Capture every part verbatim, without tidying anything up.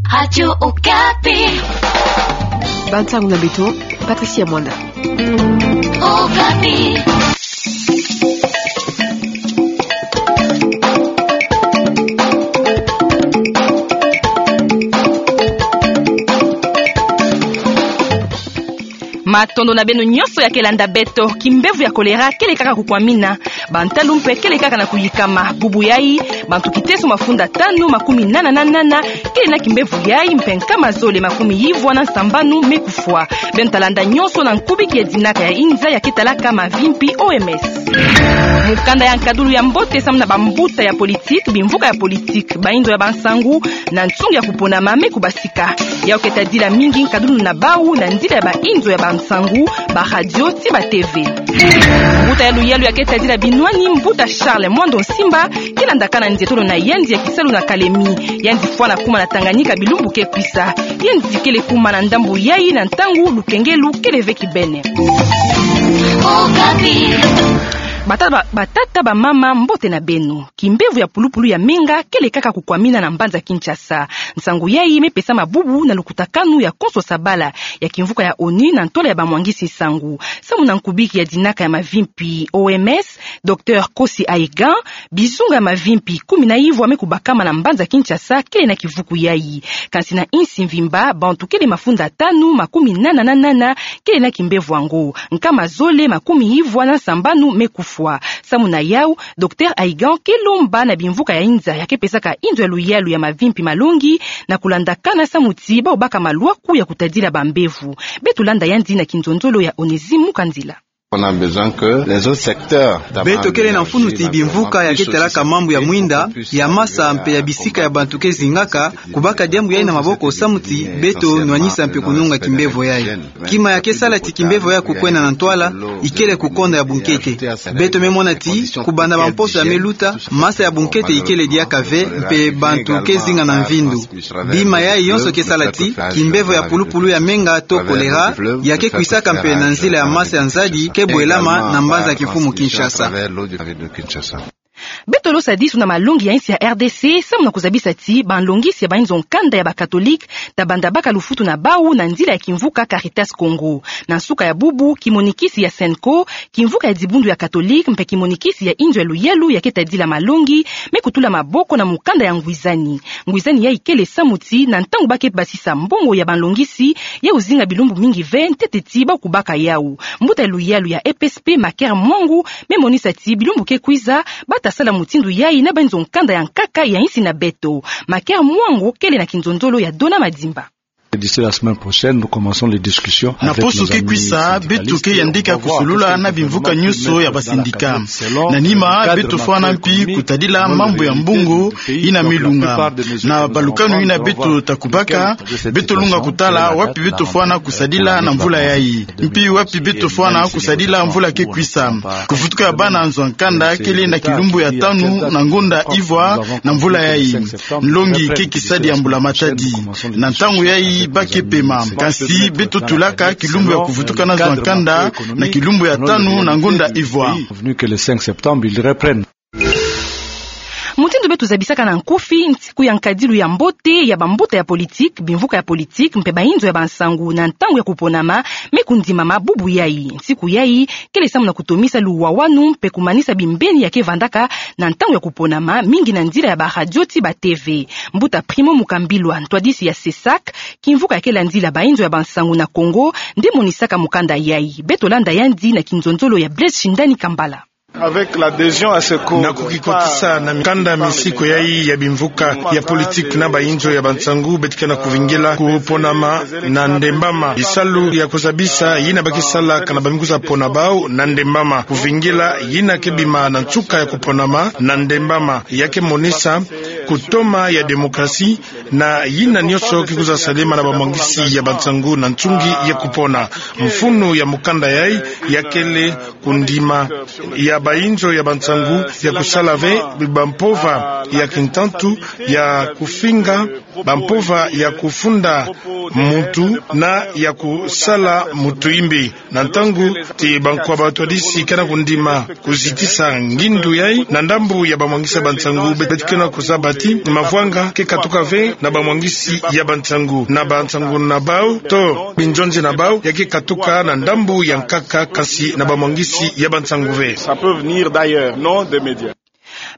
Radio Okapi. Bansango na beto, Patricia Mwanda. Okapi. Matondo na beno nyonso ya ke landa beto. Kimbevo ya kolera kele kaka kukwamina. Bantalu mpe kele kaka na kuyikama. Bubu yayi, bantu kiteso mafunda tanu makumi nana na nana kele na kimbevo yayi, mpe nkama zole makumi ivwa na nsambanu me kufwa. Beno ta landa nyonso na nkubiki ya dinaka ya inza ya ke talaka mavimpi, O M S. Mukanda ya nkadulu ya mbote samu na bambuta ya politiki, bimvuka ya politiki, bainzo ya bansangu, na nsungi ya kuponama me kubasika. Yau ke tadila mingi nkadulu na bau na nzila ya bainzo ya bansangu, baradio ti ba T V. Mbuta ya luyalu ya ke tadila binwani, mbuta Charles Mwando Nsimba, ke landakana nzietolo na yandi ya kisalu na Kalemi. Yandi fwana kuma na Tanganyika bilumbu ke kwisa. Yandi kele kuma na ndambu yayi na ntangu lukengelu kele ve kibene. Okapi. Batata, ba-, batata, bamama, mbote na beno. Kimbevo ya pulupulu ya menga kele kaka kukwamina na mbanza Kinshasa. Nsangu yayi me pesama bubu na lukutakanu ya konso sabala ya kimvuka ya ONU na ntwala ya bamwangisi nsangu. Samu na nkubiki ya dinaka ya mavimpi, O M S, Docteur Kosi Aigan, bizunga ya mavimpi kumi na ivwa me kubakama na mbanza Kinshasa kele na kivuku yayi. Kansi na insi mvimba, bantu kele mafunda tanu makumi nana na nana kele na kimbevo yango. Nkama zole makumi ivwa na nsambanu me kufwa. Samu na yau, Docteur Aigan ke lomba na bimvuka ya inza ya ke pesaka inzo ya luyalu ya mavimpi malongi na kulandakana samu ti bau baka malwaku ya kutadila bambevo. Beto landa yandi na kinzonzolo ya Onésime Mukandila. On a besoin que les autres secteurs. Beto kele na mfunu ti bimvuka ya ke talaka mambu ya mwinda, ya masa mpe ya bisika ya bantu ke zingaka, kubaka diambu yayi na maboko samu ti beto nwanisa mpe kununga kimbevo yayi. Kima ya ke sala ti kimbevo yayi kukwenda na ntwala, ikele kukonda ya bunkete. Beto me mona ti, kubanda bamposo ya me luta, masa ya bunkete ikele diaka ve, mpe bantu ke zinga na mvindu. Bima yayi yonso ke sala ti kimbevo ya pulupulu ya menga to kolera ya ke kwisaka mpe na nzila ya masa ya nzadi ke bwelama na mbanza kimfumu Kinshasa. Beto losa disu na malongi ya insi ya R D C, samu na kuzabisa ti banlongisi ya bainzo nkanda ya bakatolike ta banda baka lufutu na bau na nzila ya kimvuka Caritas Congo. Na nsuka ya bubu, kimonikisi ya Cenco, kimvuka ya dibundu ya katolike mpe kimonikisi ya inzo ya luyalu ya ke tadila malongi, me kutula maboko na mukanda ya ngwizani. Ngwizani yayi kele samu ti, na ntangu ba ke basisa mbongo ya banlongisi, yau zinga bilumbu mingi ve ntete ti bau kubaka yau. Mbuta ya luyalu ya E P S P, Macaire Mwangu, me monisa ti bilumbu ke kwiza, ba ta sala mutindu yayi na bainzo nkanda ya nkaka ya insi na beto. Macaire Mwangu kele na kinzonzolo ya Dona Madimba. D'ici la semaine prochaine, nous commençons les discussions avec nos amis syndicalistes. Na poso ke kwisa, beto ke yandika kusulula na bimvuka nyonso ya basindika. Na nima, beto fwana mpi kutadila mambu ya mbongo yina me lunga. Na balukanu yina beto ta kubaka, beto lunga kutala wapi beto fwana kusadila na mvula yayi. Mpi wapi beto fwana kusadila mvula ke kwisa. Kuvutuka ya bana nzo ya nkanda kele na kilumbu ya tanu na ngonda ivwa na mvula yayi. Nlongi ke kisadi ya Mbula Matadi. Na ntangu yayi ba ke pema. Kansi beto tulaka kilumbu ya kuvutuka na nzo ya nkanda na kilumbu ya tanu na ngonda ivwa. Venu que le cinq septembre, ils reprennent. Mutindu beto zabisaka na nkufi, nsiku ya nkadilu ya mbote ya bambuta ya politiki, bimvuka ya politiki, mpe bainzo ya bansangu na ntangu ya kuponama, me kundimama bubu yayi. Nsiku yayi kele samu na kutomisa luwawanu mpe kumanisa bimbeni ya ke vandaka na ntangu ya kuponama, mingi na nzila ya baradio ti ba T V. Mbuta Primo Mukambilwa, ntwadisi ya CESAC, kimvuka ya ke landila bainzo ya bansangu na Congo, nde monisaka mukanda yayi. Beto landa yandi na kinzonzolo ya Blaise Shindani Kambala. Avec l'adhésion à ce code, na kukikotisa na mikanda mi nsiku yayi ya bimvuka ya politiki na bainzo ya bansangu, beto ke na kuvingila kuponama na ndembama. Bisalu ya kuzabisa yina ba ke salaka na bamikusa pona bau na ndembama. Kuvingila yina ke bima na nsuka ya kuponama na ndembama, ya ke monisa kutoma ya démocratie, na yina nyonso ke kwiza salema na bamwangisi ya bansangu na nsungi ya kupona. Mfunu ya mukanda yayi ya kele kundima ya bainzo ya bansangu ya kusala ve bampova ya kintantu, ya kufinga bampova ya kufunda muntu na ya kusala mutu yimbi. Na ntangu ti bankwa batwadisi ke na kundima kuzitisa ngindu yayi, na ndambu ya bamwangisi ya bansangu, beto ke na kuzaba Ti mavwanga ke katuka ve na bamwangisi ya bansangu, na bansangu na bau, to binzonzi na bau, ya ke katuka na ndambu ya nkaka, kansi na bamwangisi ya bansangu ve. Ça peut venir d'ailleurs, non des médias.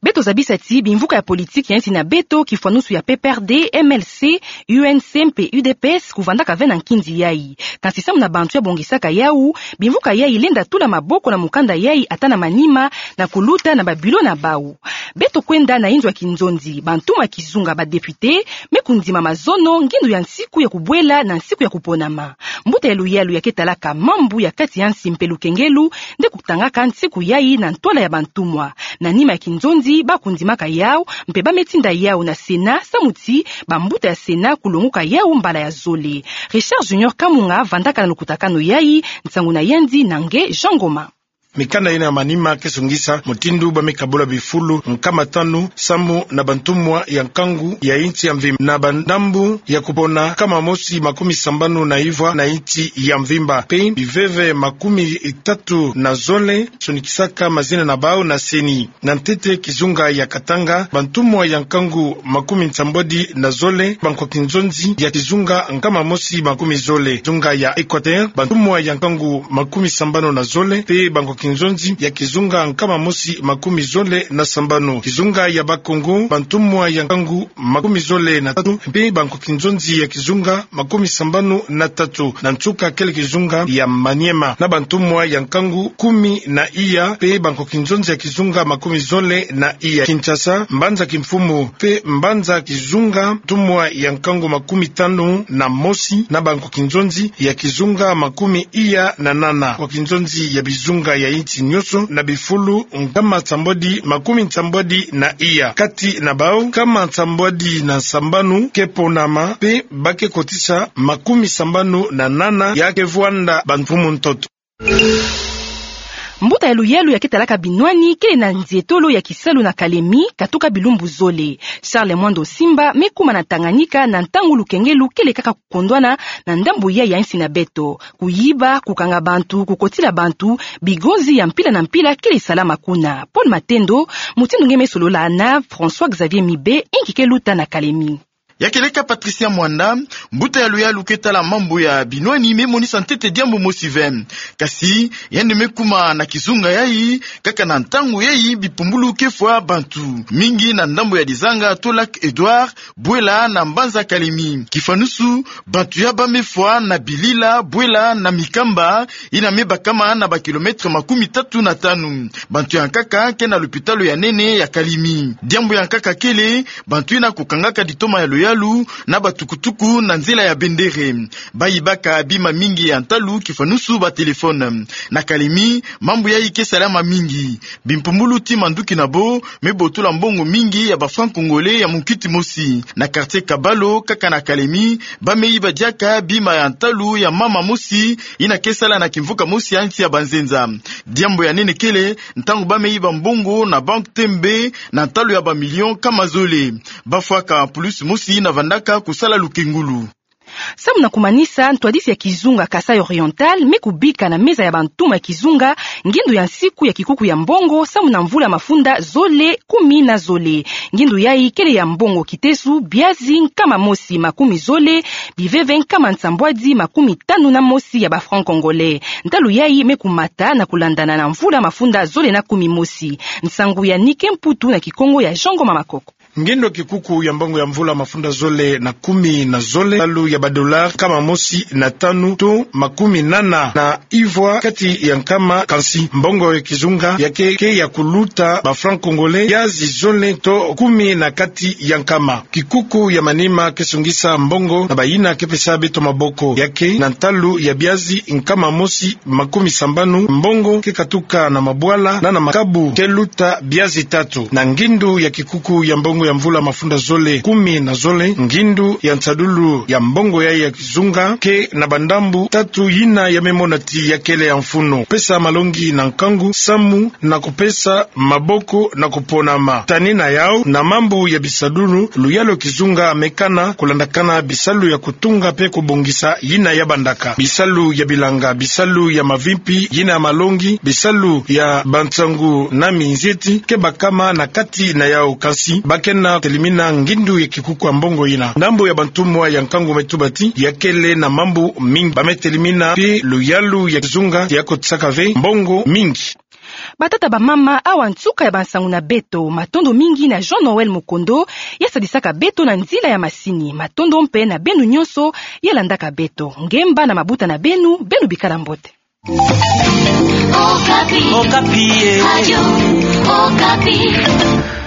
Beto zabisa ti bimvuka ya politiki ya nsi na beto, kifwanusu ya P P R D, M L C, U N C mpe U D P S, kuvandaka ve na nkindi yai. Kansi samu na bantu ya bongisaka yau, bimvuka yai lenda tula maboko na mukanda yai ata na manima, na kuluta na ba bureau na bau. Beto kwenda na inzo ya kinzonzi, bantumwa ya kizunga, ba député, me kundima mazono ngindu ya nsiku ya kubwela na nsiku ya kuponama. Mbuta ya luyalu ya ke talaka mambu ya kati ya nsi mpe lukengelu, nde kutangaka nsiku yai na ntwala ya bantumwa. Na nima ya kinzonzi, ba kundimaka yau, mpe ba me tinda yau na Sénat, samu ti bambuta ya Sénat kulonguka yau mbala ya zole. Richard Junior Kamunga vandaka na lukutakanu yai, nsangu na yandi na nge Jean Ngoma. Mikanda yina ya manima ke sungisa mutindu ba me kabula bifulu nkama tanu samu na bantumwa ya nkangu ya insi ya mvimba, na bandambu ya kupona nkama mosi makumi sambanu na ivwa na insi ya mvimba, mpe biveve makumi tatu na zole sonikisaka mazina na bau na CENI. Na ntete kizunga ya Katanga, bantumwa ya nkangu makumi nsambwadi na zole, bankwa kinzonzi ya kizunga nkama mosi makumi zole. Kizunga ya Équateur, bantumwa ya nkangu makumi sambanu na zole, mpe bankwa kinzonzi ya kizunga nkama mosi makumi zole na sambanu. Kizunga ya Bas-Congo, bantumwa ya nkangu makumi zole na tatu, mpe bankwa kinzonzi ya kizunga makumi sambanu na tatu. Na nsuka kele kizunga ya Maniema, na bantumwa ya nkangu kumi na iya, mpe bankwa kinzonzi ya kizunga makumi zole na iya. Kinshasa, mbanza kimfumu, mpe mbanza kizunga, ntumwa ya nkangu makumi tanu na mosi, na bankwa kinzonzi ya kizunga makumi iya na nana. Kwa kinzonzi ya bizunga ya insi nyonso, na bifulu nkama nsambwadi makumi nsambwadi na iya. Kati na bau, nkama nsambwadi na sambanu ke ponama, mpe ba ke kotisa makumi sambanu na nana ya ke vwanda bamfumu ntoto. Mbuta ya luyalu ya ke talaka binwani kele na nzietolo ya kisalu na Kalemi, katuka bilumbu zole. Charles Mwando Simba me kuma na Tanganyika na ntangu lukengelu kele kaka kukondwana na ndambu yai ya insi na beto. Kuyiba, kukanga bantu, kukotila bantu, bigonzi ya mpila na mpila kele salama kuna. Paul Matendo, mutindu nge me solola na François Xavier Mibe, inki ke luta na Kalemi. Ya keleka Patricia Mwanda, mbuta ya luyalu ke tala mambu ya binwani, me monisa ntete diambu mosi ve. Kasi yandi me kuma na kizunga yai, kaka na ntangu yai bipumbulu ke fwa bantu mingi na ndambu ya Dizanga to Lac Edouard, bwela na mbanza Kalemi. Kifwanusu, bantu ya ba me fwa na bilila, bwela na mikamba yina me bakama na ba kilomètre makumi tatu na tanu. Bantu ya nkaka ke na lopitalo ya nene ya Kalemi. Diambu ya nkaka kele, bantu yina kukangaka ditoma ya luyalu na batukutuku na nzila ya bendere. Ba yibaka bima mingi ya ntalu, kifwanusu ba téléphone. Na Kalemi, mambu yai ke salama mingi. Bimpumbulu ti manduki na bo me botola mbongo mingi ya ba francs congolais ya munkiti mosi. Na quartier Kabalo, kaka na Kalemi, ba me yiba diaka bima ya ntalu ya mama mosi yina ke sala na kimvuka mosi ya insi ya Banzenza. Diambu ya nene kele, ntangu ba me yiba mbongo na banque Tembe na ntalu ya ba millions nkama zole. Ba fwaka pulusi mosi yina vandaka kusala lukengulu. Samu na kumanisa, ntwadisi ya kizunga Kasaï Oriental me kubika na meza ya bantumwa ya kizunga ngindu ya nsiku ya kikuku ya mbongo samu na mvula mafunda zole kumi na zole. Ngindu yai kele ya mbongo kitesu, biazi nkama mosi makumi zole, biveve nkama nsambwadi makumi tanu na mosi ya ba francs congolais. Ntalu yai me kumata na kulandana na mvula mafunda zole na kumi mosi. Nsangu ya Nike Mputu na Kikongo ya Jean Ngoma Makoko. Ngindu ya kikuku ya mbongo ya mvula mafunda zole na kumi na zole, ntalu ya ba dollars nkama mosi na tanu to makumi nana na ivwa kati ya nkama, kansi mbongo ya kizunga ya ke, ke ya kuluta ba francs congolais biazi zole to kumi na kati ya nkama. Kikuku ya manima ke sungisa mbongo na bayina ke pesa beto maboko. Ya ke na ntalu ya biazi nkama mosi makumi sambanu, mbongo ke katuka na mabwala na na makabu ke luta biazi tatu. Na ngindu ya kikuku ya mbongo ya mvula mafunda zole kumi na zole, ngindu ya nsadulu ya mbongo yai ya kizunga ke na bandambu tatu yina ya me mona ti ya kele ya mfunu: pesa malongi na nkangu samu na kupesa maboko na kuponama. Tani na yau, na mambu ya bisadulu, luyalu kizunga me kana kulandakana bisalu ya kutunga mpe kubongisa yina ya bandaka. Bisalu ya bilanga, bisalu ya mavimpi, yina ya malongi, bisalu ya bansangu na minzieti ke bakama na kati na yau, kansi ba ke na telimina ngindu ya kikuku ya mbongo yina. Ndambu ya bantumwa ya nkangu Metubati yakele na mambu mingi. Ba me telimina mpe luyalu ya kizunga, ya kotisaka ve mbongo mingi. Batata, bamama, awa nsuka ya bansangu na beto. Matondo mingi na Jean Noël Mokondo, ya sadisaka beto na nzila ya masini. Matondo mpe na beno nyonso ya landaka beto. Ngemba na mabuta na beno, beno bikala mbote. Okapi. Okapi, eh. Radio Okapi.